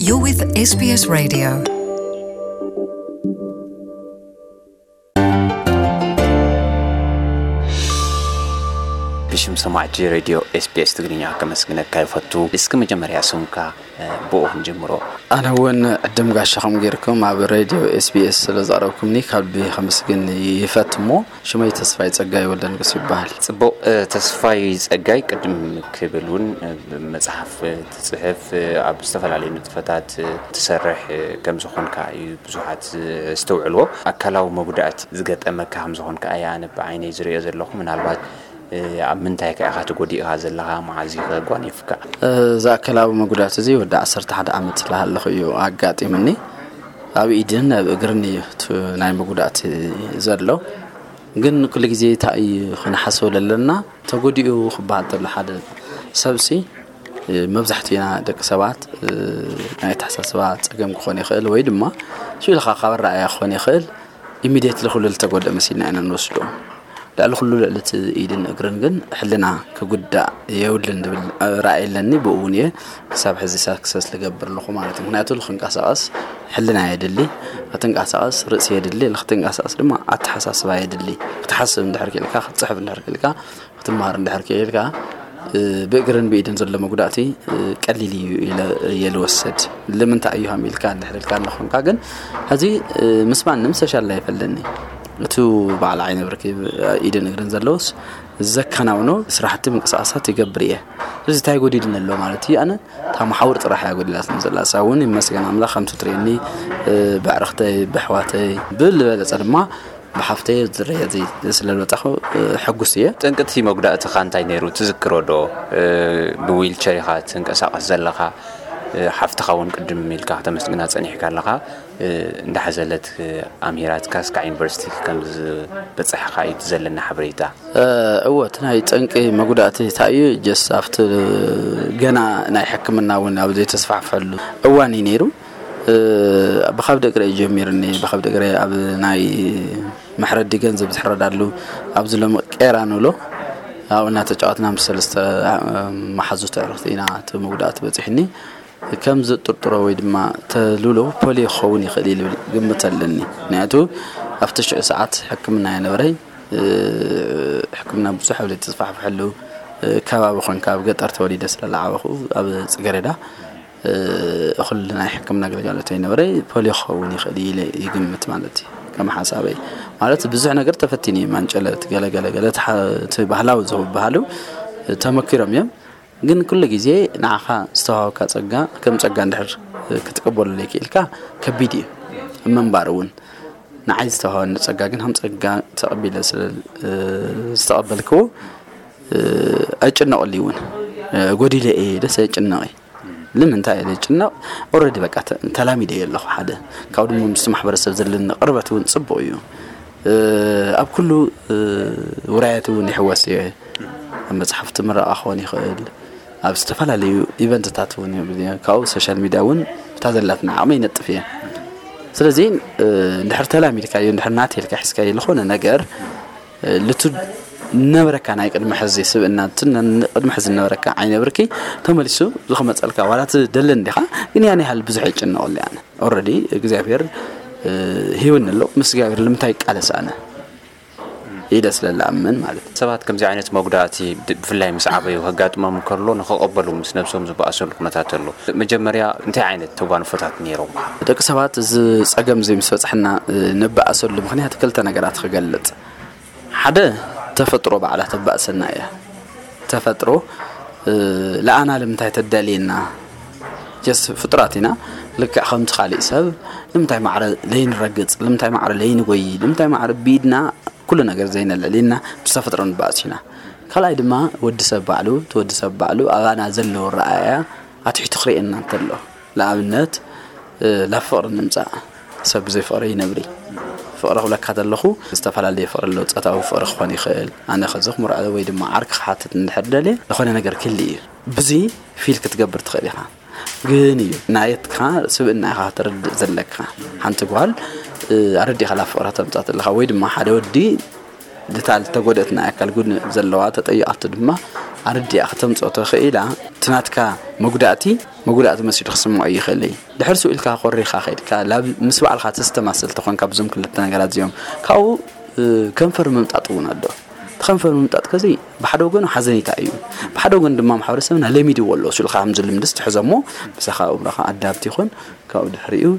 You're with S B S Radio. ብሽም ሰማዕቲ ሬድዮ ኤስቢኤስ ትግርኛ ከመስግነካ ይፈቱ። እስኪ መጀመርያ ስምካ፣ እ፣ ብኡ ክንጅምሮ። ኣነ እውን ዕድም ጋሻኹም ጌርኩም ኣብ ሬድዮ ኤስቢኤስ ስለ ዘቕረብኩምኒ ካብ ልቢ ከመስግን ይፈት እሞ ሽመይ ተስፋይ ጸጋይ ወልደንጉስ ይበሃል። ጽቡቕ፣ እ፣ ተስፋይ ጸጋይ ቅድም ክብል እውን፣ እ፣ መጽሓፍ ትጽሕፍ፣ እ፣ ኣብ ዝተፈላለዩ ንጥፈታት፣ እ፣ ትሰርሕ፣ እ፣ ከም ዝኾንካ እዩ ብዙሓት ዝስተውዕልዎ። ኣካላዊ መጉዳእቲ ዝገጠመካ ከም ዝኾንካ እየ ኣነ ብዓይነይ ዝርእዮ ዘለኹ። ምናልባት፣ እ፣ ኣብ ምንታይ ከ ኢኻ ተጎዲእካ ዘለኻ? መዓዝ እዩ ከ ጓኒፍካ? እዚ ኣካላዊ መጉዳእቲ እዚ ወዲ ዓሰርተ ሓደ ዓመት ዝለሃለኹ እዩ ኣጋጢምኒ። ኣብ ኢድን ኣብ እግርን እዩ እቲ ናይ መጉዳእቲ ዘሎ። ግን ኩሉ ግዜ እንታይ እዩ ክንሓስቦ ዘለና? ተጎዲኡ ክበሃል ተሎ ሓደ ሰብሲ፣ እ፣ መብዛሕትኡና ደቂ ሰባት፣ እ፣ ናይ ኣተሓሳስባ ጸገም ክኾን ይኽእል ወይ ድማ ሽልኻ ካብ ኣረኣእያ ክኾን ይኽእል። ኢሚድየትሊ ኩሉ ዝተጎድአ መሲልና ኢና ንወስዶ። ልዕሊ ኩሉ ልዕሊ እቲ ኢድን እግርን ግን ሕልና ክጉዳእ የብሉን ዝብል ራእይ ኣለኒ። ብኡ እውን እየ ክሳብ ሕዚ ሳክሰስ ልገብር ኣለኹ ማለት እዩ። ምክንያቱ ልክንቀሳቐስ ሕልና የድሊ፣ ክትንቀሳቐስ ርእሲ የድሊ፣ ልክትንቀሳቐስ ድማ ኣተሓሳስባ የድሊ። ክትሓስብ እንድሕር ክኢልካ፣ ክትፅሕፍ እንድሕር ክኢልካ፣ ክትመሃር እንድሕር ክኢልካ፣ እ፣ ብእግርን ብኢድን ዘሎ መጉዳእቲ፣ እ፣ ቀሊል እዩ ኢለ እየ ልወስድ። ልምንታይ እዩ ሃም ኢልካ እንድሕር ኢልካ እንኾንካ ግን፣ ሕዚ፣ እ፣ ምስ ማንም ሰሻል ላይፍ ኣለኒ። እቱ በዓል ዓይነ ብርኪ ኢድን እግርን ዘለውስ ዘከናውኖ ስራሕቲ ምንቅስቃሳት ይገብር እየ። ስለዚ እንታይ ጎዲልኒ ኣሎ ማለት እዩ? ኣነ እታ መሓውር ጥራሕ እያ ጎዲላትኒ ዘላ። እሳ እውን ይመስገን ኣምላኽ ከምቲ ትርእየኒ፣ እ፣ ብዕርኽተይ፣ ብኣሕዋተይ፣ ብዝበለጸ ድማ ብሓፍተይ ዝረየ እዚ ስለ ዝበጻኹ፣ እ፣ ሕጉስ እየ። ጠንቅቲ መጉዳእትኻ እንታይ ነይሩ ትዝክሮ ዶ? እ፣ ብዊልቸር ኢኻ ትንቀሳቐስ ዘለኻ። እ፣ ሓፍትኻ እውን ቅድም ኢልካ ከተመስግና ጸኒሕካ ኣለኻ። እ፣ እንዳሓዘለት፣ እ፣ ኣምሂራትካ እስካዕ ዩኒቨርሲቲ ከም ዝበጻሕኻ እዩ እቲ ዘለና ሓበሬታ። እ፣ እወ፣ እቲ ናይ ጠንቂ መጉዳእቲ እንታይ እዩ? ጀስት ኣብቲ ገና ናይ ሕክምና እውን ኣብ ዘይተስፋሕፈሐሉ እዋን እዩ ነይሩ። እ፣ ብኸብዲ እግረ እዩ ጀሚሩኒ። ብኸብዲ እግረ ኣብ ናይ መሕረዲ ገንዘብ ዝሕረዳሉ ኣብዚ ሎሚ ቄራ ንብሎ ኣብኡ እናተጫወትና ምስ ሰለስተ፣ እ፣ መሓዙት ኣዕሩኽቲ ኢና እቲ መጉዳእቲ በፂሑኒ። ከም ዝጥርጥሮ ወይ ድማ ተልብሎ ፖሊዮ ክኸውን ይኽእል እዩ ዝብል ግምት ኣለኒ። ምክንያቱ ኣብቲ ሽዑ ሰዓት ሕክምና የነበረይ። እ፣ ሕክምና ብዙሕ ኣብ ዘይተስፋሕፍሐሉ፣ እ፣ ከባቢ ኮንካ ኣብ ገጠር ተወሊደ ስለ ዝዓበኹ ኣብ ጽገረዳ፣ እ፣ እኹል ናይ ሕክምና ኣገልግሎት ኣይነበረይ። ፖሊዮ ክኸውን ይኽእል እዩ ኢለ ይግምት ማለት እዩ። ከም ሓሳበይ ማለት ብዙሕ ነገር ተፈቲኑ እዩ። ማንጨለት፣ ገለ ገለ ገለ፣ እቲ ሓ-፣ እቲ ባህላዊ ዝበሃሉ ተመኪሮም እዮም። ግን ኩሉ ግዜ ንዓኻ ዝተዋሃበካ ጸጋ ከም ጸጋ እንድሕር ክትቅበሎ ዘይክኢልካ ከቢድ እዩ። ኣብ ምንባር እውን ንዓይ ዝተዋሃበኒ ጸጋ ግን ከም ጸጋ ተቐቢለ ስለ ዝተቐበልክዎ፣ እ፣ ኣይጭነቐሉ እውን። እ፣ ጎዲለ እየ ደስ ኣይጭነቕ እየ። ንምንታይ እየ ዝጭነቕ? ኦልሬዲ በቃ ተ-፣ ተላሚደ እየ ኣለኹ። ሓደ ካብኡ ድማ ምስቲ ማሕበረሰብ ዘለኒ ቅርበት እውን ጽቡቕ እዩ። እ፣ ኣብ ኩሉ፣ እ፣ ውራያት እውን ይሕወስ እየ። ኣብ መጽሓፍቲ ምረቓ ክኾን ይኽእል፣ ኣብ ዝተፈላለዩ ኢቨንትታት እውን ይብል እየ። ካብኡ ሶሻል ሚድያ እውን እታ ዘላትና ዓቕሚ ይነጥፍ እየ። ስለዚ፣ እ፣ እንድሕር ተላሚድካዮ፣ እንድሕር ናተይ ኢልካ ሒዝካዮ ዝኾነ ነገር፣ እ፣ ልቱ ነበረካ ናይ ቅድሚ ሕዚ ስብእና፣ እቲ ነ-፣ ቅድሚ ሕዚ ነበረካ ዓይነ ብርኪ ተመሊሱ ዝኽመጸልካ፣ ዋላ እቲ ደለን ዲኻ፣ ግን ያን ያህል ብዙሕ ይጭነቐሉ እየ ኣነ። ኦልሬዲ እግዚኣብሔር፣ እ፣ ሂብኒ ኣሎ። ምስ እግዚኣብሔር ንምንታይ ይቃለስ ኣነ? ኢለ ስለ ዝኣምን ማለት እዩ። ሰባት ከምዚ ዓይነት መጉዳእቲ ድ-፣ ብፍላይ ምስ ዓበዩ ከጋጥሞም እንከሎ ንኸቐበሉ ምስ ነብሶም ዝበኣሰሉ ኩነታት ኣሎ። መጀመርያ እንታይ ዓይነት ተጓንፎታት ነይሮም? ደቂ ሰባት እዚ ጸገም እዚ ምስ በጽሐና፣ እ፣ ንበኣሰሉ ምኽንያት ክልተ ነገራት ክገልጽ። ሓደ፣ ተፈጥሮ ባዕላ ተባእሰና እያ። ተፈጥሮ፣ እ፣ ለኣና ልምንታይ ተዳልየና? ጀስ ፍጡራት ኢና። ልክዕ ከምቲ ካሊእ ሰብ ልምንታይ ማዕረ ለይንረግጽ፣ ልምንታይ ማዕረ ለይንጎይ፣ ልምንታይ ማዕረ ብኢድና ኩሉ ነገር ዘይነለሊና ምስ ተፈጥሮ ንባእስ ኢና። ካልኣይ ድማ ወዲ ሰብ ባዕሉ፣ እቲ ወዲ ሰብ ባዕሉ ኣባና ዘለዎ ረኣያ ኣትሒቱ ክርእየና እንተሎ፣ ንኣብነት፣ እ፣ ላብ ፍቕሪ ንምጻእ። ሰብ ብዘይ ፍቕሪ ይነብሪ። ፍቕሪ ክብለካ ዘለኹ ዝተፈላለየ ፍቕሪ ኣለዎ። ጾታዊ ፍቕሪ ክኾን ይኽእል። ኣነ ከዚ ክምርዖ ወይ ድማ ዓርኪ ክሓትት እንድሕር ደልየ ዝኾነ ነገር ክህሊ እዩ። ብዙይ ፊል ክትገብር ትኽእል ኢኻ። ግን እዩ ናየትካ ስብእና ኢኻ ክትርድእ ዘለካ። ሓንቲ ጓል፣ እ፣ ኣረዲኻ ላብ ፍቕሪ ተምጻእ ዘለኻ ወይ ድማ ሓደ ወዲ ድታ ዝተጎደት ናይ ኣካል ጉድኣት ዘለዋ ተጠይቓቶ ድማ ኣረዲኣ ከተምጽኦ ተኽኢላ። እቲ ናትካ መጉዳእቲ መጉዳእቲ መሲሉ ክስምዖ ይኽእል እዩ። ድሕር ስኡ ኢልካ ኮሪኻ ከይድካ ላብ ምስ ባዕልኻ ተስተማስል ተኾንካ ብዞም ክልተ ነገራት እዚኦም ካብኡ እ፣ ከንፈር ምምጣጥ እውን ኣሎ። እቲ ከንፈር ምምጣጥ ከዚ ብሓደ ወገኑ ሓዘኔታ እዩ። ብሓደ ወገን ድማ ማሕበረሰብና ለሚድዎ ኣሎ። ስልካ ከምዚ ልምድስ ትሕዞ እሞ ምሳኻ እምሮኻ ኣዳብት ይኹን ካብኡ ድሕሪኡ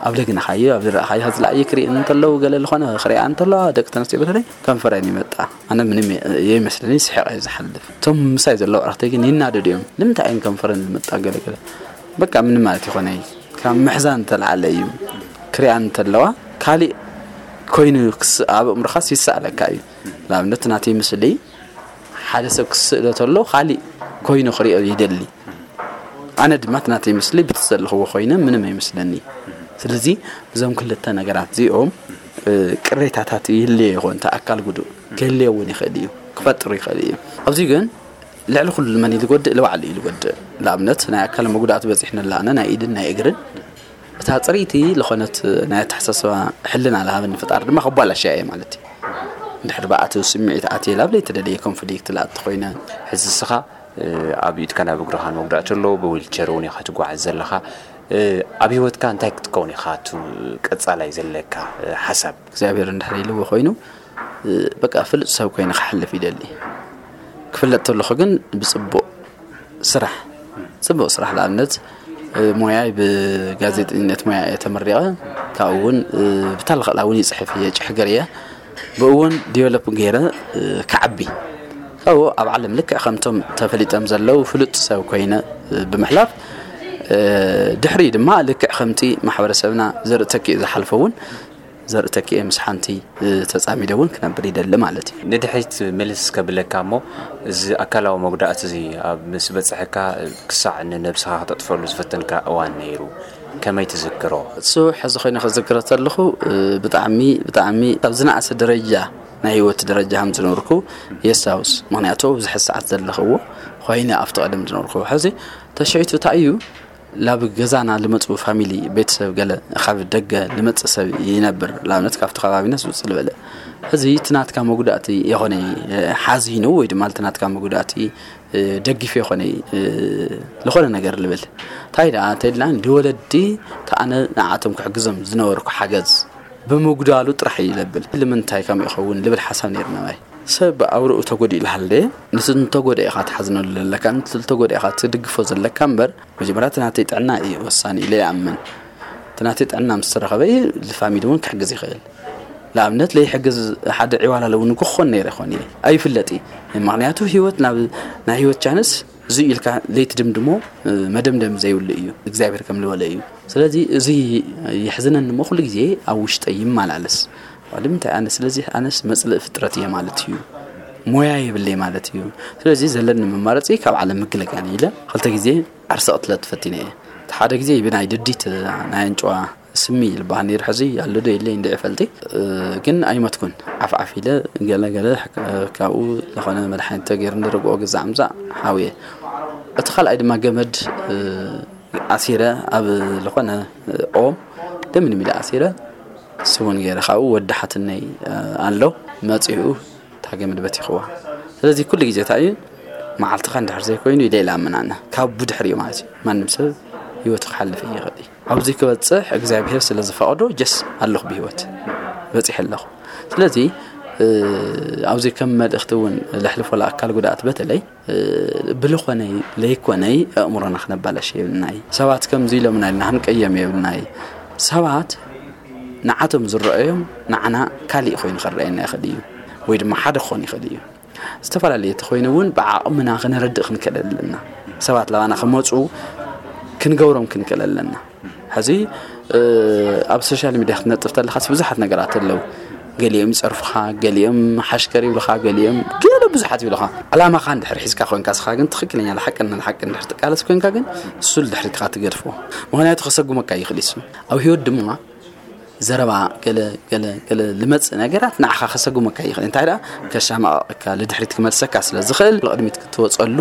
ኣብ ለግንኻዮ ኣብ ዝረእኻዮ ዝለኣየ ክርኢ እንተለዉ ገለ ዝኾነ ክሪኣ እንተለዋ ደቂ ተነስትዮ በተለይ ከንፈረን ይመጣ። ኣነ ምንም የይመስለኒ ስሒቐ እዩ ዝሓልፍ። እቶም ምሳይ ዘለዉ ኣዕርኽተይ ግን ይናደዱ እዮም። ንምንታይ እየን ከንፈረን ዝመጣ ገለ ገለ በቃ ምንም ማለት ይኾነ ካብ ምሕዛን ተለዓለ እዩ። ክሪኣን እንተለዋ ካሊእ ኮይኑ ክስ- ኣብ እምሮኻስ ይሰኣለካ እዩ። ንኣብነት ናተይ ምስሊ ሓደ ሰብ ክስእሎ ተሎ ካሊእ ኮይኑ ክሪኦ ይደሊ። ኣነ ድማ እቲ ናተይ ምስሊ ብቲ ዘለኽዎ ኮይነ ምንም ኣይመስለኒ። ስለዚ እዞም ክልተ ነገራት እዚኦም እ፣ ቅሬታታት ይህልዮ ይኾን እቲ ኣካል ጉዱእ ክህልዮ እውን ይኽእል እዩ ክፈጥሩ ይኽእል እዩ። ኣብዚ ግን ልዕሊ ኩሉ መን እዩ ዝጎድእ? ንባዕሉ እዩ ዝጎድእ። ንኣብነት ናይ ኣካል መጉዳእቲ በፂሕንላ ኣነ ናይ ኢድን ናይ እግርን እታ ፅርይቲ ዝኾነት ናይ ኣተሓሳስባ ሕልና ዝሃበኒ ፍጣር ድማ ከቧላሽያ እየ ማለት እዩ። እንድሕር ብኣትው ስምዒት ኣትየ ላብ ዘይተደለየ ኮንፍሊክት ላእቲ ኮይነ ሕዚ እስኻ ኣብ ኢድካ ናብ እግርኻ መጉዳእቲ ኣሎ ብዊልቸር እውን ኢኻ ትጓዓዝ ዘለኻ ኣብ ህይወትካ እንታይ ክትከውን ኢኻ እቲ ቀፃላይ ዘለካ ሓሳብ እግዚኣብሔር እንድሕር ኢልዎ ኮይኑ በቃ ፍሉጥ ሰብ ኮይነ ክሓልፍ ይደሊ ክፍለጥ ተለኹ ግን ብፅቡቅ ስራሕ ጽቡቅ ስራሕ ንኣብነት ሞያይ ብጋዜጠኝነት ሞያ እየ ተመሪቐ ካብኡ እውን ብታልኸላ እውን ይፅሕፍ እየ ጭሕግር እየ ብኡ እውን ዲቨሎፕ ገይረ ክዓቢ ካብኡ ኣብ ዓለም ልክዕ ከምቶም ተፈሊጦም ዘለዉ ፍሉጥ ሰብ ኮይነ ብምሕላፍ ድሕሪ ድማ ልክዕ ከምቲ ማሕበረሰብና ዘርኢ ተኪኡ ዝሓልፎ እውን ዘርኢ ተኪኤ ምስ ሓንቲ ተጻሚደ እውን ክነብር ይደሊ ማለት እዩ። ንድሕሪት ምልስ ከብለካ እሞ እዚ ኣካላዊ መጉዳእቲ እዚ ኣብ ምስ በጽሐካ ክሳዕ ንነብስኻ ክተጥፈሉ ዝፈተንካ እዋን ነይሩ ከመይ ትዝክሮ? እሱ ሕዚ ኮይነ ክዝክሮ ተለኹ ብጣዕሚ ብጣዕሚ ኣብ ዝነኣሰ ደረጃ ናይ ህይወት ደረጃ ከም ዝነበርኩ የስታውስ። ምክንያቱ ኣብዚ ሕዚ ሰዓት ዘለኽዎ ኮይነ ኣብቲ ቀደም ዝነበርኩ ሕዚ ተሽዒቱ እንታይ እዩ ላብ ገዛና ልመፁ ፋሚሊ ቤተሰብ ገለ ካብ ደገ ልመፅእ ሰብ ይነብር ንኣብነት ካብቲ ከባቢና ዝውፅእ ዝበለ እዚ እቲ ናትካ መጉዳእቲ የኾነ ሓዚኑ ወይ ድማ እቲ ናትካ መጉዳእቲ ደጊፍ የኾነ ዝኾነ ነገር ልብል እንታይ ደኣ እንተልና ንወለዲ ተኣነ ንዓቶም ክሕግዞም ዝነበርኩ ሓገዝ ብምጉዳሉ ጥራሕ እዩ ዘብል ልምንታይ ከም ይኸውን ልብል ሓሳብ ነይርና ናይ ሰብ ኣውርኡ ተጎዲኡ ልሃለ ንስንተጎደ ኢኻ ትሓዝነሉ ዘለካ ንስንተጎደ ኢኻ ትድግፎ ዘለካ እምበር መጀመርያ እቲ ናተይ ጥዕና እዩ ወሳኒ ኢለ ይኣምን። እቲ ናተይ ጥዕና ምስ ተረኸበ እዩ ዝፋሚሊ እውን ክሕግዝ ይኽእል። ንኣብነት ለይሕግዝ ሓደ ዕዋላ ለውን ክኾን ነይረ ይኾን እየ ኣይፍለጥ እዩ። ምክንያቱ ህይወት ናብ ናይ ህይወት ቻንስ እዙይ ኢልካ ለይትድምድሞ መደምደም ዘይብሉ እዩ እግዚኣብሔር ከም ዝበለ እዩ። ስለዚ እዙይ የሕዝነኒ እሞ ኩሉ ግዜ ኣብ ውሽጠይ ይመላለስ። ንምንታይ ኣነ ስለዚ ኣነስ መፅልእ ፍጥረት እየ ማለት እዩ። ሞያ የብለይ ማለት እዩ። ስለዚ ዘለኒ መማረፂ ካብ ዓለም ምግልጋል ኢለ ክልተ ግዜ ዓርሰ ቅትለት ፈቲነ እየ። እቲ ሓደ ግዜ ብናይ ድዲት ናይ ኣንጭዋ ስሚ ይልበሃል ነይሩ ሕዚ ኣሎ ዶ የለይ እንድዒ ፈልጢ ግን ኣይመትኩን ዓፍዓፍ ኢለ ገለ ገለ ካብኡ ዝኾነ መድሓኒት ተገይሩ ንርግኦ ግዛዕ ምዛዕ ሓውየ እቲ ካልኣይ ድማ ገመድ ኣሲረ ኣብ ዝኾነ ኦም ደምን ሚዳ ኣሲረ ስውን ገይረ ካብኡ ወዲ ሓትነይ ኣሎ መፂኡ ታገ መድበት ይኽዋ ስለዚ ኩሉ ግዜ እንታይ እዩ መዓልትኻ እንድሕር ዘይኮይኑ ኢለ ኢለ ኣመናና ካብ ብድሕሪ እዩ ማለት እዩ ማንም ሰብ ህይወቱ ክሓልፍ ይኽእል እዩ ኣብዚ ክበፅሕ እግዚኣብሔር ስለ ዝፈቐዶ ጀስ ኣለኹ ብህይወት በፂሕ ኣለኹ ስለዚ ኣብዚ ከም መልእኽቲ እውን ለሕልፎ ለኣካል ጉድኣት በተለይ ብልኾነይ ለይኮነይ ኣእምሮና ክነባላሽ የብልናይ ሰባት ከምዚ ኢሎምና ኢልና ክንቀየም የብልናይ ሰባት ንዓቶም ዝረአዮም ንዓና ካሊእ ኮይኑ ክረአየና ይኽእል እዩ ወይ ድማ ሓደ ክኾን ይኽእል እዩ ዝተፈላለየ ተኮይኑ እውን ብዓቕምና ክነረድእ ክንክእል ኣለና ሰባት ላባና ክመፁ ክንገብሮም ክንክእል ኣለና ሕዚ ኣብ ሶሻል ሚድያ ክትነጥፍ ተለኻስ ብዙሓት ነገራት ኣለዉ ገሊኦም ይፀርፉኻ ገሊኦም ሓሽከር ይብልኻ ገሊኦም ገለ ብዙሓት ይብልኻ ዕላማኻ እንድሕር ሒዝካ ኮንካ ስኻ ግን ትኽክለኛ ሓቅን ሓቅን ድሕር ትቃለስ ኮንካ ግን እሱ ድሕሪትኻ ትገድፎ ምክንያቱ ከሰጉመካ ይኽእል ይሱ ኣብ ህይወት ድማ ዘረባ ገለ ገለ ገለ ልመፅእ ነገራት ንዓኻ ከሰጉመካ ይኽእል እንታይ ደኣ ከሻማቐቀካ ልድሕሪት ክመልሰካ ስለ ዝኽእል ንቕድሚት ክትወፀሉ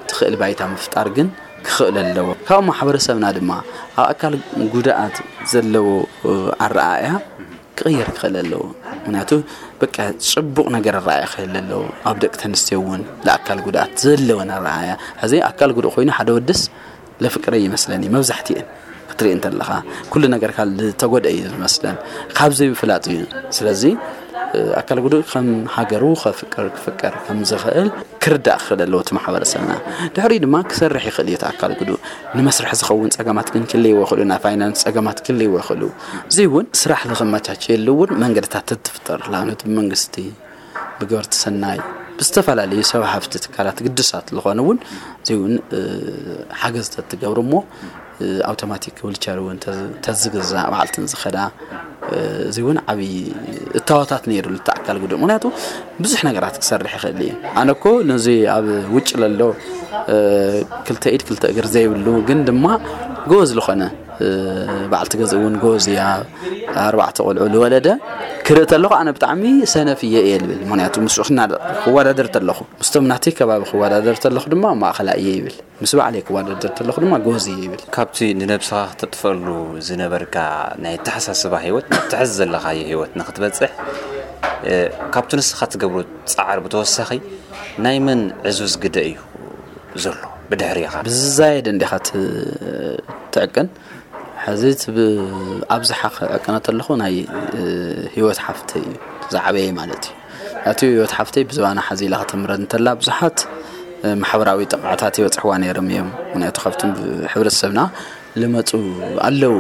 ትኽእል ባይታ ምፍጣር ግን ክኽእል ኣለዎ ካብ ማሕበረሰብና ድማ ኣብ ኣካል ጉድኣት ዘለዎ ኣረኣእያ ክቕየር ክኽእል ኣለዎ። ምክንያቱ በቃ ጽቡቕ ነገር ኣረኣያ ክህል ኣለዎ። ኣብ ደቂ ተንስትዮ እውን ለኣካል ጉድኣት ዘለወን ኣረኣያ። ሕዚ ኣካል ጉዱእ ኮይኑ ሓደ ወድስ ለፍቅረ ይመስለኒ መብዛሕትኤን ክትርኢ እንተለኻ ኩሉ ነገር ካል ዝተጎደ እዩ ዝመስለን ካብዚ ምፍላጥ እዩ። ስለዚ ኣካል ጉዱእ ከም ሃገሩ ከፍቅር ክፍቀር ከም ዝኽእል ክርዳእ ክኽእል ኣለዎ እቲ ማሕበረሰብና። ድሕሪ ድማ ክሰርሕ ይኽእል እዩ እቲ ኣካል ጉዱእ። ንመስርሕ ዝኸውን ጸገማት ግን ክልይዎ ይኽእሉ፣ ናይ ፋይናንስ ጸገማት ክልይዎ ይኽእሉ። እዚ እውን ስራሕ ንኸመቻቸየሉ እውን መንገድታት ትፍጠር። ንኣብነት ብመንግስቲ፣ ብገበርቲ ሰናይ፣ ብዝተፈላለዩ ሰብ ሃፍቲ ትካላት ግድሳት ዝኾነ እውን እዚ እውን ሓገዝ ተትገብሩ እሞ ኣውቶማቲክ ዊልቸር እውን ተዝግዛእ ባዕልትን ዝኸዳ እዚ እውን ዓብዪ እታወታት ነይሩ ልተኣካል ጉዱእ። ምክንያቱ ብዙሕ ነገራት ክሰርሕ ይኽእል እዩ። ኣነ እኮ ነዚ ኣብ ውጭ ለሎ ክልተ ኢድ ክልተ እግር ዘይብሉ ግን ድማ ጎበዝ ዝኾነ ባዕልቲ ገዝ እውን ጎበዝ እያ። ኣርባዕተ ቆልዑ ዝወለደ ክርኢ ተለኹ ኣነ ብጣዕሚ ሰነፍ እየ እየ ልብል። ምክንያቱ ምስ ክወዳደር ተለኹ ምስቶም ናተይ ከባቢ ክወዳደር ተለኹ ድማ ማእኸላ እየ ይብል። ምስ ባዕለይ ክወዳደር ተለኹ ድማ ጎበዝ እየ ይብል። ካብቲ ንነብስኻ ክተጥፈሉ ዝነበርካ ናይ ኣተሓሳስባ ህይወት ናብቲ ሕዚ ዘለኻዮ ህይወት ንክትበፅሕ እ፣ ካብቲ ንስኻ ትገብሮ ፃዕሪ ብተወሳኺ ናይ መን ዕዙዝ ግደ እዩ ዘሎ ብድሕሪኻ? ብዝዛየድ እንዲኻ ትዕቅን። ሕዚ እቲ ብ- ኣብዝሓ ክዕቅነ ተለኹ ናይ እ፣ ህይወት ሓፍተይ እዩ ዝዓበየ ማለት እዩ። እቲ ህይወት ሓፍተይ ብዝባና ሓዚ ኢላ ከተምረን እንተላ ብዙሓት ማሕበራዊ ጥቕዓታት ይበፅሕዋ ነይሮም እዮም። ምክንያቱ ካብቶም ሕብረተሰብና ልመፁ ኣለዉ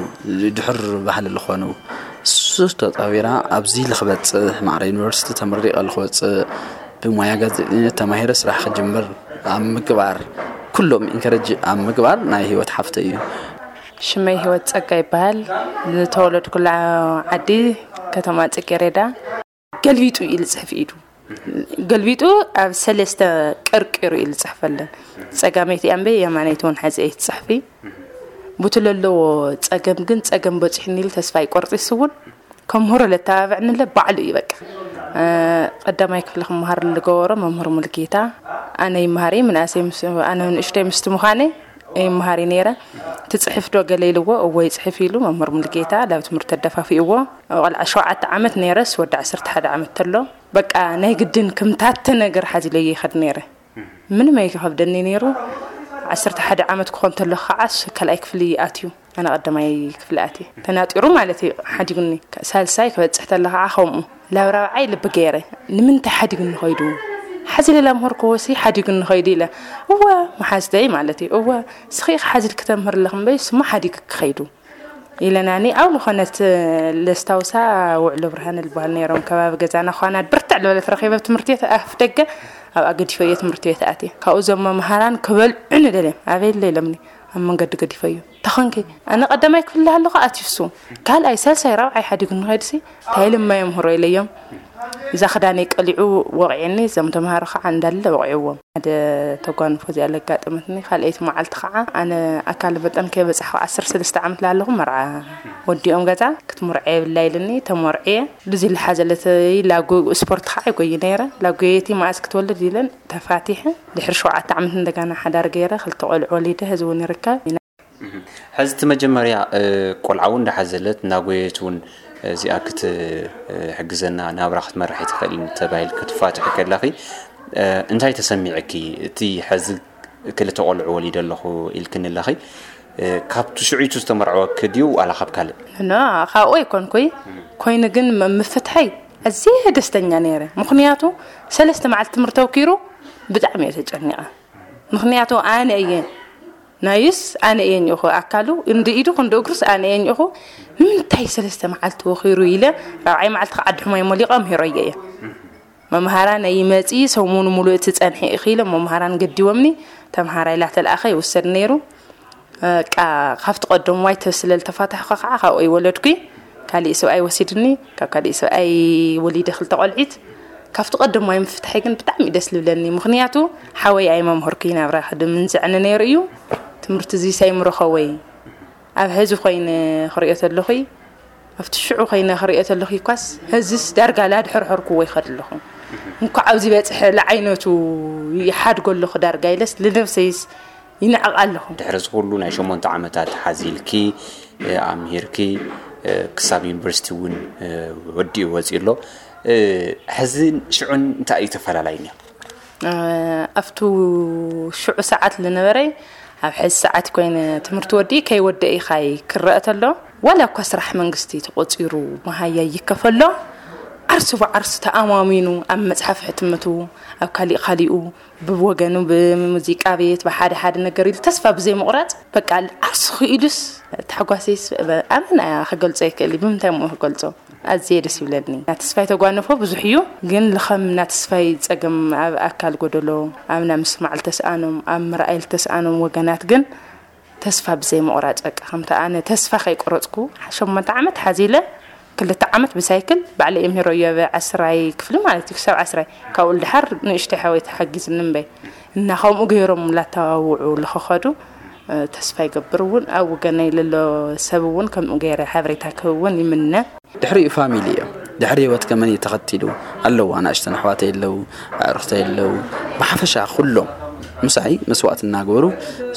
ድሕር ባህሊ ዝኾኑ እሱ ተፃዊራ ኣብዚ ልክበፅእ ማዕረ ዩኒቨርሲቲ ተመሪቐ ልክወፅእ ብሞያ ጋዜጠኝነት ተማሂረ ስራሕ ክጅምር ኣብ ምግባር ኩሎም ኢንከረጅ ኣብ ምግባር ናይ ህይወት ሓፍተ እዩ። ሽመይ ህይወት ፀጋ ይበሃል። ዝተወለድኩላ ዓዲ ከተማ ፅጌሬዳ። ገልቢጡ እዩ ዝፅሕፍ ኢዱ ገልቢጡ ኣብ ሰለስተ ቀርቂሩ እዩ ዝፅሕፈለን። ፀጋመይቲ ኣንበይ የማነይቲ እውን ሓፂ ኣይትፅሕፊ። ቡቲ ለለዎ ፀገም ግን ፀገም በፂሑኒ ኢሉ ተስፋ ይቆርፂ እሱ እውን ከምህሮ ለተባብዕኒ ለ ባዕሉ እዩ በቃ። ቀዳማይ ክፍሊ ክመሃር ዝገበሮ መምህር ሙልጌታ ኣነ ይመሃር እየ ምንኣሰይ ኣነ ንእሽተይ ምስቲ ምዃነይ ይመሃር እዩ ነይረ። ትፅሕፍ ዶ ገለ ኢልዎ እዎ ይፅሕፍ ኢሉ መምህር ሙልጌታ ላብ ትምህርቲ ተደፋፊእዎ። ቆልዓ ሸውዓተ ዓመት ነይረስ ወዲ ዓሰርተ ሓደ ዓመት ተሎ በቃ ናይ ግድን ክምታተ ነገር ሓዚለዮ ይኸድ ነይረ። ምንም ኣይከኸብደኒ ነይሩ። ዓሰርተ ሓደ ዓመት ክኾን ተሎ ከዓስ ካልኣይ ክፍሊ ኣትዩ። ኣነ ቀዳማይ ክፍሊ ኣትየ ተናጢሩ ማለት እዩ ሓዲጉኒ። ሳልሳይ ክበፅሕ ተሎ ከዓ ከምኡ ላብ ራብዓይ ልቢ ገይረ። ንምንታይ ሓዲጉኒ ኸይዱ ሓዚ ሌላ ምህር ክወሲ ሓዲጉኒ ኸይዱ ኢለ እወ መሓዝተይ ማለት እዩ እወ ስኺ ሓዚ ክተምህር ኣለኽ እምበይ ስሞ ሓዲግ ክኸይዱ ኢለናኒ ኣብ ዝኾነት ለስታውሳ ውዕሎ ብርሃን ልበሃል ነይሮም ከባቢ ገዛና ኳና ብርትዕ ዝበለት ረኺበ ትምህርቲ ቤት ኣፍ ደገ ኣብኣ ገዲፈዮ ትምህርቲ ቤት ኣትየ ካብኡ ዞም መምሃራን ክበልዑኒ ደልዮም ኣበይ ኣሎ ኢሎምኒ ኣብ መንገዲ ገዲፈዮ ተኸንኪ ኣነ ቀዳማይ ክፍሊ ኣለኹ ኣትዩ እሱ ካልኣይ ሳልሳይ ራብዓይ ሓዲጉ ንኸይድሲ እንታይ ኢሎም ማይ ምህሮ ኢለዮም እዛ ክዳነይ ቀሊዑ ወቕዒኒ እዞም ተምሃሮ ከዓ እንዳለ ወቕዕዎም ሓደ ተጓንፎ እዚኣ ለጋጠመትኒ ካልኣይቲ መዓልቲ ከዓ ኣነ ኣካል መጠን ከይበፃሕኩ ዓሰርተ ሰለስተ ዓመት ላለኹ መርዓ ወዲኦም ገዛ ክትምርዖ የብላ ኢልኒ ተመርዕየ ልዚ ልሓዘለተይ ላጉ ስፖርት ከዓ ይጎይ ነይረ ላጉየቲ መኣዝ ክትወልድ ኢለን ተፋቲሐ ድሕሪ ሸውዓተ ዓመት እንደገና ሓዳር ገይረ ክልተ ቆልዑ ወሊደ ህዚ እውን ይርከብ ሕዚ እቲ መጀመርያ ቆልዓ እውን እንዳሓዘለት እናጎየት እውን እዚኣ ክትሕግዘና ናብራ ክትመርሕ ኣይትኽእልን ተባሂል ክትፋትሒ ከለኺ እንታይ ተሰሚዕኪ? እቲ ሕዚ ክልተ ቆልዑ ወሊደ ኣለኹ ኢልክኒ ኣለኺ ካብቲ ሽዑይቱ ዝተመርዐወኪ ድዩ ዋላ ካብ ካልእ? ኖ ካብኡ ኣይኮንኩይ ኮይኑ ግን ምፍትሐይ ኣዝየ ደስተኛ ነይረ ምኽንያቱ ሰለስተ መዓልቲ ትምህርቲ ተውኪሩ ብጣዕሚ እየ ተጨኒቐ ምኽንያቱ ኣነ እየ ናይስ ኣነ እየ ኝእኹ ኣካሉ እንዲ ኢዱ ክንዲ እግሩስ ኣነ እየ ኝእኹ ንምንታይ ሰለስተ መዓልቲ ወኺሩ ኢለ ራብዓይ መዓልቲ ከዓዲ ሕማይ ሞሊቐ ምሂረዮ እየ መምሃራን ኣይመፂ ሰሙኑ ሙሉእ እቲ ፀንሒ እኺ ኢሎም መምሃራን ገዲቦምኒ ተምሃራይ ላተልኣኸ ይውሰድ ነይሩ ቃ ካብቲ ቀደምዋይ ስለ ዝተፋታሕኩ ከዓ ካብኡ ይወለድኩ ካሊእ ሰብኣይ ወሲድኒ ካብ ካሊእ ሰብኣይ ወሊደ ክልተ ቆልዒት ካብቲ ቀደምዋይ ምፍትሐይ ግን ብጣዕሚ ደስ ልብለኒ ምክንያቱ ሓወይ ኣይመምህርኩ ናብራ ክድምን ዘዕኒ ነይሩ እዩ ትምህርቲ እዚ ሳይምረኸወይ ኣብ ሕዚ ኮይነ ክሪኦ ተለኹ ኣብቲ ሽዑ ኮይነ ክሪኦ ተለኹ ኳስ ሕዚስ ዳርጋ ላድሕርሕርኩዎ ይኸድ ኣለኹ እንኳዕ ኣብዚ በፅሐ ለዓይነቱ ይሓድጎ ኣለኹ ዳርጋ ኢለስ ልነብሰይስ ይንዕቕ ኣለኹ። ድሕሪ እዚ ኩሉ ናይ ሸሞንተ ዓመታት ሓዚልኪ ኣምሂርኪ ክሳብ ዩኒቨርሲቲ እውን ወዲኡ ወፂኡ ኣሎ። ሕዝን ሽዑን እንታይ እዩ ተፈላለዩ? ኣብቱ ሽዑ ሰዓት ዝነበረይ ኣብ ሕዚ ሰዓት ኮይነ ትምህርቲ ወዲ ከይወደ ኢኻይ ክረአ ተሎ ዋላ እኳ ስራሕ መንግስቲ ተቆፂሩ መሃያ ይከፈሎ ዓርሲ ብዓርሲ ተኣማሚኑ ኣብ መፅሓፍ ሕትመቱ ኣብ ካሊእ ካሊኡ ብወገኑ ብሙዚቃ ቤት ብሓደ ሓደ ነገር ኢሉ ተስፋ ብዘይ ምቑራፅ በቃ ዓርሲ ክኢሉስ ታሕጓሰይስ ኣመና ክገልፆ ይክእል ብምንታይ ሞ ክገልፆ ኣዝየ ደስ ይብለኒ። ናተስፋይ ተጓነፎ ብዙሕ እዩ፣ ግን ልኸም ናተስፋይ ጸገም ኣብ ኣካል ጎደሎ፣ ኣብ ናይ ምስማዕ ልተስኣኖም፣ ኣብ ምርኣይ ልተስኣኖም ወገናት ግን ተስፋ ብዘይ ምቑራጽ በቃ ከምቲ ኣነ ተስፋ ከይቆረጽኩ ሸሞንተ ዓመት ሓዚለ ክልተ ዓመት ብሳይክል ባዕለ የምህሮ እየ ኣብ ዓስራይ ክፍሊ ማለት እዩ ክሳብ ዓስራይ ካብኡ ልድሓር ንእሽተይ ሓወይ ተሓጊዝኒ እምበይ እና ከምኡ ገይሮም ላተዋውዑ ልኸኸዱ ተስፋ ይገብር እውን ኣብ ወገነይ ለሎ ሰብ እውን ከምኡ ገይረ ሓበሬታ ክህብ እውን ይምነ። ድሕሪኡ ፋሚሊ እዮም። ድሕሪ ህይወት ከመን እዩ ተኸቲሉ ኣለዉ ኣናእሽተን ኣሕዋተይ ኣለዉ ኣዕሩኽተይ ኣለዉ ብሓፈሻ ኩሎም ምሳይ መስዋእቲ እናገበሩ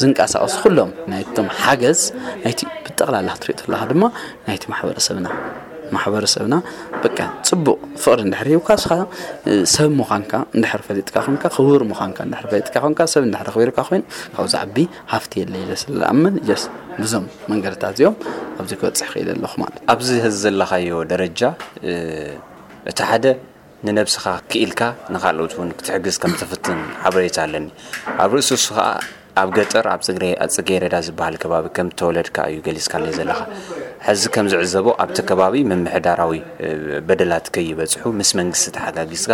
ዝንቀሳቐሱ ኩሎም ናይቶም ሓገዝ ናይቲ ብጠቕላላ ክትሪኦ ተለካ ድማ ናይቲ ማሕበረሰብና ማሕበረሰብና በቃ ፅቡቕ ፍቕሪ እንድሕር ሂብካ እስኻ ሰብ ምዃንካ እንድሕር ፈሊጥካ ኮንካ ክቡር ምዃንካ እንድሕር ፈሊጥካ ኮንካ ሰብ እንድሕር ኣኽቢርካ ኮይኑ ካብኡ ዝዓቢ ሃፍቲ የለ ኢለ ስለ ዝኣምን ጀስ ብዞም መንገድታት እዚኦም ኣብዚ ክበፅሕ ክኢለ ኣለኹ ማለት ኣብዚ ሕዚ ዘለኻዮ ደረጃ እቲ ሓደ ንነብስኻ ክኢልካ ንኻልኦት እውን ክትሕግዝ ከም ትፍትን ሓበሬታ ኣለኒ ኣብ ርእሲ እሱ ከዓ ኣብ ገጠር ኣብ ፅጌረዳ ዝበሃል ከባቢ ከም ተወለድካ እዩ ገሊፅካለይ ዘለኻ ሕዚ ከም ዝዕዘቦ ኣብቲ ከባቢ ምምሕዳራዊ በደላት ከይበፅሑ ምስ መንግስቲ ተሓጋጊዝካ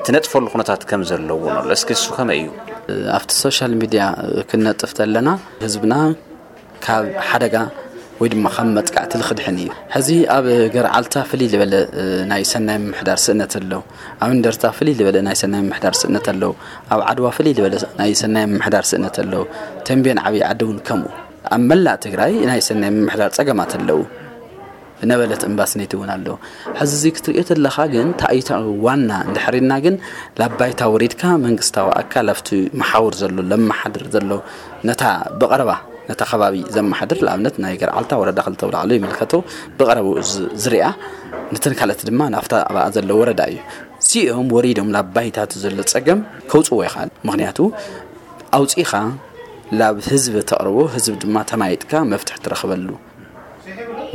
ትነጥፈሉ ኩነታት ከም ዘለዎ ንሎ እስኪ እሱ ከመይ እዩ ኣብቲ ሶሻል ሚድያ ክነጥፍ ተለና ህዝብና ካብ ሓደጋ ወይ ድማ ካብ መጥቃዕቲ ልኽድሕን እዩ። ሕዚ ኣብ ገርዓልታ ፍልይ ዝበለ ናይ ሰናይ ምምሕዳር ስእነት ኣሎ። ኣብ እንደርታ ፍልይ ዝበለ ናይ ሰናይ ምምሕዳር ስእነት ኣሎ። ኣብ ዓድዋ ፍልይ ዝበለ ናይ ሰናይ ምምሕዳር ስእነት ኣሎ። ተንቤን ዓብዪ ዓዲ እውን ከምኡ። ኣብ መላእ ትግራይ ናይ ሰናይ ምምሕዳር ፀገማት ኣለዉ። ነበለት እምባስኔት እውን ኣሎ። ሕዚ እዚ ክትሪኦ ተለኻ ግን ታይታ ዋና እንድሕሪና ግን ላባይታ ወሪድካ መንግስታዊ ኣካል ኣብቲ መሓውር ዘሎ ለመሓድር ዘሎ ነታ ብቐረባ ነታ ከባቢ ዘመሓድር ንኣብነት ናይ ገርዓልታ ወረዳ ክልተ ውላዕሎ ይምልከቶ ብቐረቡ ዝሪኣ ነተን ካልኦት ድማ ናብታ ኣብኣ ዘሎ ወረዳ እዩ እዚኦም ወሪዶም ናብ ባይታት ዘሎ ፀገም ከውፅዎ ይኽኣል ምክንያቱ ኣውፂኻ ናብ ህዝቢ ተቕርቦ ህዝቢ ድማ ተማይጥካ መፍትሒ ትረኽበሉ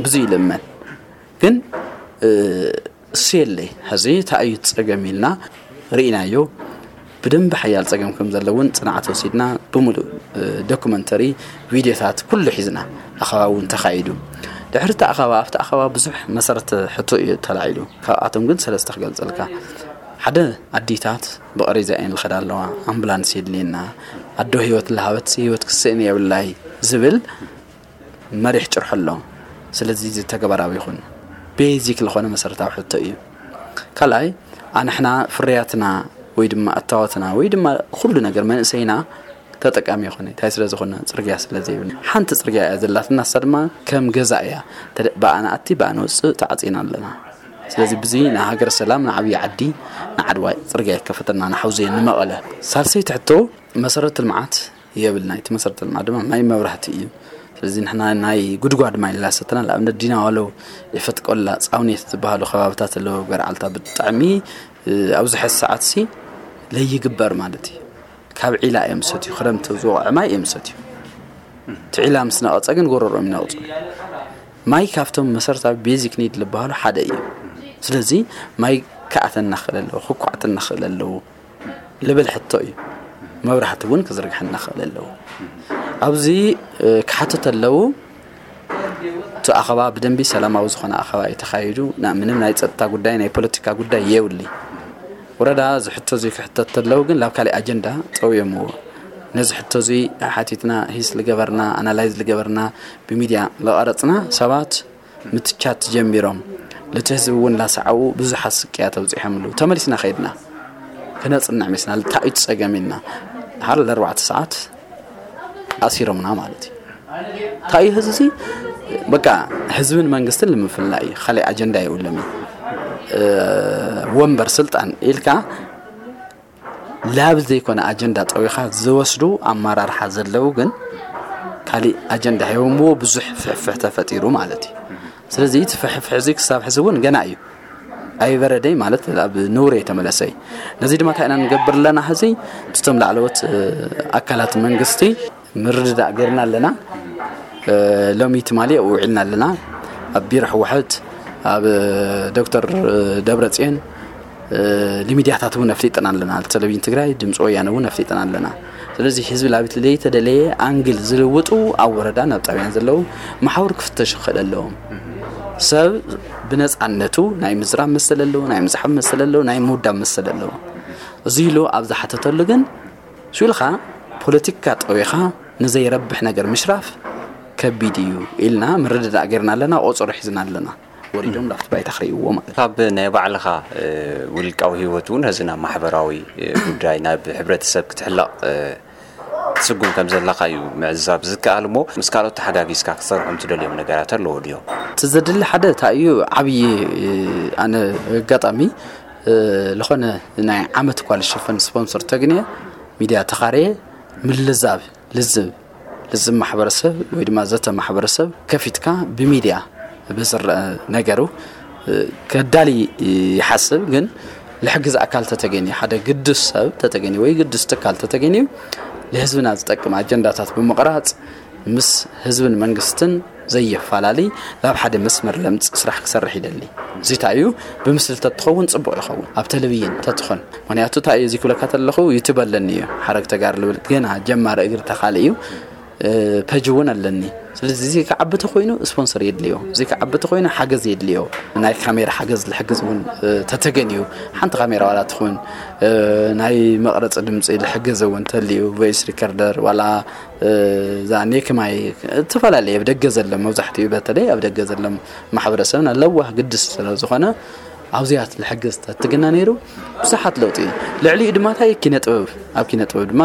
ብዙ ይልመን ግን እሱ የለይ ሕዚ እንታይ እዩ ፀገም ኢልና ርኢናዮ ብደንቢ ሓያል ፀገም ከም ዘለውን ፅንዓት ወሲድና ብምሉእ ዶኩመንተሪ ቪድዮታት ኩሉ ሒዝና ኣኸባ እውን ተኻይዱ ድሕሪ እቲ ኣኸባ ኣብቲ ኣኸባ ብዙሕ መሰረት ሕቶ እዩ ተላዒሉ ካብኣቶም ግን ሰለስተ ክገልፀልካ ሓደ ኣዲታት ብቐሬዛ እየን ዝኸዳ ኣለዋ ኣምቡላንስ የድልየና ኣዶ ህይወት ለሃበት ህይወት ክስእን የብላይ ዝብል መሪሕ ጭርሖ ኣሎ ስለዚ እዚ ተግባራዊ ይኹን ቤዚክ ዝኾነ መሰረታዊ ሕቶ እዩ ካልኣይ ኣንሕና ፍርያትና ወይ ድማ እታወትና ወይ ድማ ኩሉ ነገር መንእሰይና ተጠቃሚ ይኾነ እንታይ ስለ ዝኾነ ፅርግያ ስለ ዘይብልና ሓንቲ ፅርግያ እያ ዘላትና እሳ ድማ ከም ገዛ እያ ብኣና ኣቲ ብኣና ወፅእ ተዓፂና ኣለና ስለዚ ብዚ ንሃገር ሰላም ንዓብዪ ዓዲ ንዓድዋ ፅርግያ ይከፈተልና ንሓውዘየ ንመቐለ ሳልሰይቲ ሕቶ መሰረተ ልምዓት የብልና እቲ መሰረተ ልምዓት ድማ ማይ መብራህቲ እዩ ስለዚ ንሕና ናይ ጉድጓድ ማይ ላሰተና ንኣብነት ዲናዋሎ የፈትቆላ ፃውኔት ዝበሃሉ ከባብታት ኣለዎ ገርዓልታ ብጣዕሚ ኣብዚ ሕዚ ሰዓት ሲ ለይግበር ማለት እዩ ካብ ዒላ እዮም ሰትዩ ክረምቲ ዝወቕዐ ማይ እዮም ሰትዩ እቲ ዒላ ምስ ነቐፀ ግን ጎረሮም ይነቕፁ ማይ ካብቶም መሰረታዊ ቤዚክ ኒድ ዝበሃሉ ሓደ እዩ ስለዚ ማይ ክኣተና ክእል ኣለዎ ክኳዕተና ክእል ኣለዎ ልብል ሕቶ እዩ። መብራህቲ እውን ክዝርግሐና ክእል ኣለዎ። ኣብዚ ክሓቱ ተለዉ እቲ ኣኸባ ብደንቢ ሰላማዊ ዝኾነ ኣኸባ እዩ ተኻይዱ። ምንም ናይ ፀጥታ ጉዳይ ናይ ፖለቲካ ጉዳይ የውሊ። ወረዳ እዚ ሕቶ እዚ ክሕተት ተለዉ ግን ላብ ካሊእ ኣጀንዳ ጠውዮምዎ። ነዚ ሕቶ እዚ ሓቲትና ሂስ ልገበርና ኣናላይዝ ልገበርና ብሚድያ ለቐረፅና ሰባት ምትቻት ጀሚሮም ልቲ ህዝቢ እውን ላሰዓቡ ብዙሓት ስቅያት ኣብፂሖምሉ ተመሊስና ከይድና ክነፅንዕ ሜስና ልታእዩ ፀገም ኢልና ሓር ለኣርባዕተ ሰዓት ኣሲሮምና ማለት እዩ ታእዩ ህዝቢ በቃ ህዝብን መንግስትን ልምፍላ እዩ ካሊእ ኣጀንዳ የብሎም እዩ ወንበር ስልጣን ኢልካ ላብ ዘይኮነ ኣጀንዳ ጠዊኻ ዝወስዱ ኣመራርሓ ዘለዉ ግን ካሊእ ኣጀንዳ ሂቦምዎ ብዙሕ ፍሕፍሕ ተፈጢሩ ማለት እዩ። ስለዚ እቲ ፍሕፍሕ እዚ ክሳብ ሕዚ እውን ገና እዩ ኣይበረደይ ማለት ኣብ ንውር የተመለሰይ። ነዚ ድማ እንታይ ኢና ንገብር ኣለና? ሕዚ እቶም ላዕለዎት ኣካላት መንግስቲ ምርድዳእ ገርና ኣለና። ሎሚ ትማሊ ውዒልና ኣለና። ኣብ ቢሮ ህወሓት፣ ኣብ ዶክተር ደብረፅዮን ንሚድያታት እውን ኣፍሊጥና ኣለና። ቴሌቪዥን ትግራይ፣ ድምፂ ወያነ እውን ኣፍሊጥና ኣለና። ስለዚ ህዝቢ ላቢት ለይተደለየ ኣንግል ዝልውጡ ኣብ ወረዳ ናብ ጣብያን ዘለዉ መሓውር ክፍተሹ ክኽእል ኣለዎም። ሰብ ብነፃነቱ ናይ ምዝራብ መሰል ኣለዎ፣ ናይ ምፅሓፍ መሰል ኣለዎ፣ ናይ ምውዳብ መሰል ኣለዎ። እዚ ኢሉ ኣብ ዝሓተተሉ ግን ሽልኻ ፖለቲካ ጠዊኻ ንዘይረብሕ ነገር ምሽራፍ ከቢድ እዩ ኢልና ምርድዳእ ገርና ኣለና። ቆፀሮ ሒዝና ኣለና። ወሪዶም ላፍቲ ባይታ ክርእይዎ ማለት ካብ ናይ ባዕልኻ ውልቃዊ ህይወት እውን ህዚ ናብ ማሕበራዊ ጉዳይ ናብ ሕብረተሰብ ክትሕለቕ ትስጉም ከም ዘለኻ እዩ ምዕዛብ ዝከኣል። እሞ ምስ ካልኦት ተሓጋጊዝካ ክትሰርሖም ትደልዮም ነገራት ኣለዎ ድዮም? እቲ ዘድሊ ሓደ እንታይ እዩ? ዓብዪ ኣነ ኣጋጣሚ ዝኾነ ናይ ዓመት እኳ ዝሽፈን ስፖንሰር ተግንየ ሚድያ ተኻርየ ምልዛብ ልዝብ ልዝብ ማሕበረሰብ ወይ ድማ ዘተ ማሕበረሰብ ከፊትካ ብሚድያ ብዝረአ ነገሩ ከዳሊ ይሓስብ። ግን ልሕግዝ ኣካል ተተገኒ ሓደ ግዱስ ሰብ ተተገኒ ወይ ግዱስ ትካል ተተገኒ ልህዝብና ዝጠቅም ኣጀንዳታት ብምቕራፅ ምስ ህዝብን መንግስትን ዘየፋላሊ ናብ ሓደ መስመር ለምፅ ስራሕ ክሰርሕ ይደሊ። እዚታ እዩ ብምስሊ ተትኸውን ፅቡቅ ይኸውን ኣብ ቴሌቪዥን ተትኾን። ምክንያቱ እንታይ እዩ እዚ ክብለካ ተለኹ ዩቱብ ኣለኒ እዩ ሓረግ ተጋር ልብል ገና ጀማሪ እግሪ ተኻሊ እዩ። ፐጅ እውን ኣለኒ። ስለዚ እዚ ክዓቢ ተኮይኑ ስፖንሰር የድልዮ፣ እዚ ክዓቢ ተኮይኑ ሓገዝ የድልዮ። ናይ ካሜራ ሓገዝ ዝሕግዝ እውን ተተገን እዩ። ሓንቲ ካሜራ ዋላ ትኹን ናይ መቕረፂ ድምፂ ዝሕግዝ እውን ተልዩ ቮይስ ሪከርደር ዋላ እዛ ኔክ ማይ እተፈላለየ ኣብ ደገ ዘለ መብዛሕትኡ በተለይ ኣብ ደገ ዘለ ማሕበረሰብና ለዋህ ግድስ ስለ ዝኾነ ኣብዚኣት ዝሕግዝ ተትግና ነይሩ ብዙሓት ለውጢ እዩ። ልዕሊኡ ድማ እንታይ ኪነ ጥበብ ኣብ ኪነ ጥበብ ድማ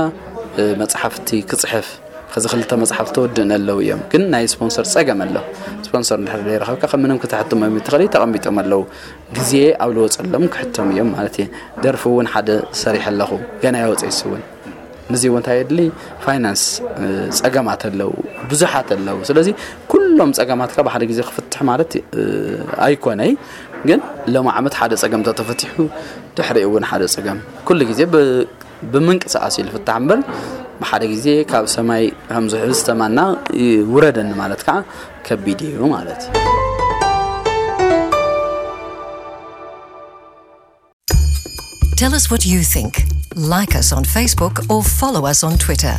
መፅሓፍቲ ክፅሕፍ ከዚ ክልተ መፅሓፍ ተወድእን ኣለዉ እዮም። ግን ናይ ስፖንሰር ፀገም ኣሎ። ስፖንሰር እንድሕር ዘይረኸብካ ከም ምንም ክትሕትሞም ትኽእል እዩ። ተቐሚጦም ኣለዉ። ግዜ ኣብ ልወፀሎም ክሕተሙ እዮም ማለት እየ። ደርፊ እውን ሓደ ሰሪሐ ኣለኹ። ገና ይወፀ ይስውን። ንዚ እውን እንታይ የድሊ ፋይናንስ ፀገማት ኣለዉ፣ ብዙሓት ኣለዉ። ስለዚ ኩሎም ፀገማትካ ብሓደ ግዜ ክፍትሕ ማለት ኣይኮነይ። ግን ሎም ዓመት ሓደ ፀገም ተተፈቲሑ ድሕሪኡ እውን ሓደ ፀገም ኩሉ ግዜ ብምንቅስቃስ እዩ ዝፍታሕ እምበር ብሓደ ግዜ ካብ ሰማይ ከም ዝሕዝ ተማና ውረደኒ ማለት ከዓ ከቢድ እዩ ማለት እዩ። Tell us what you think. Like us on Facebook or follow us on Twitter.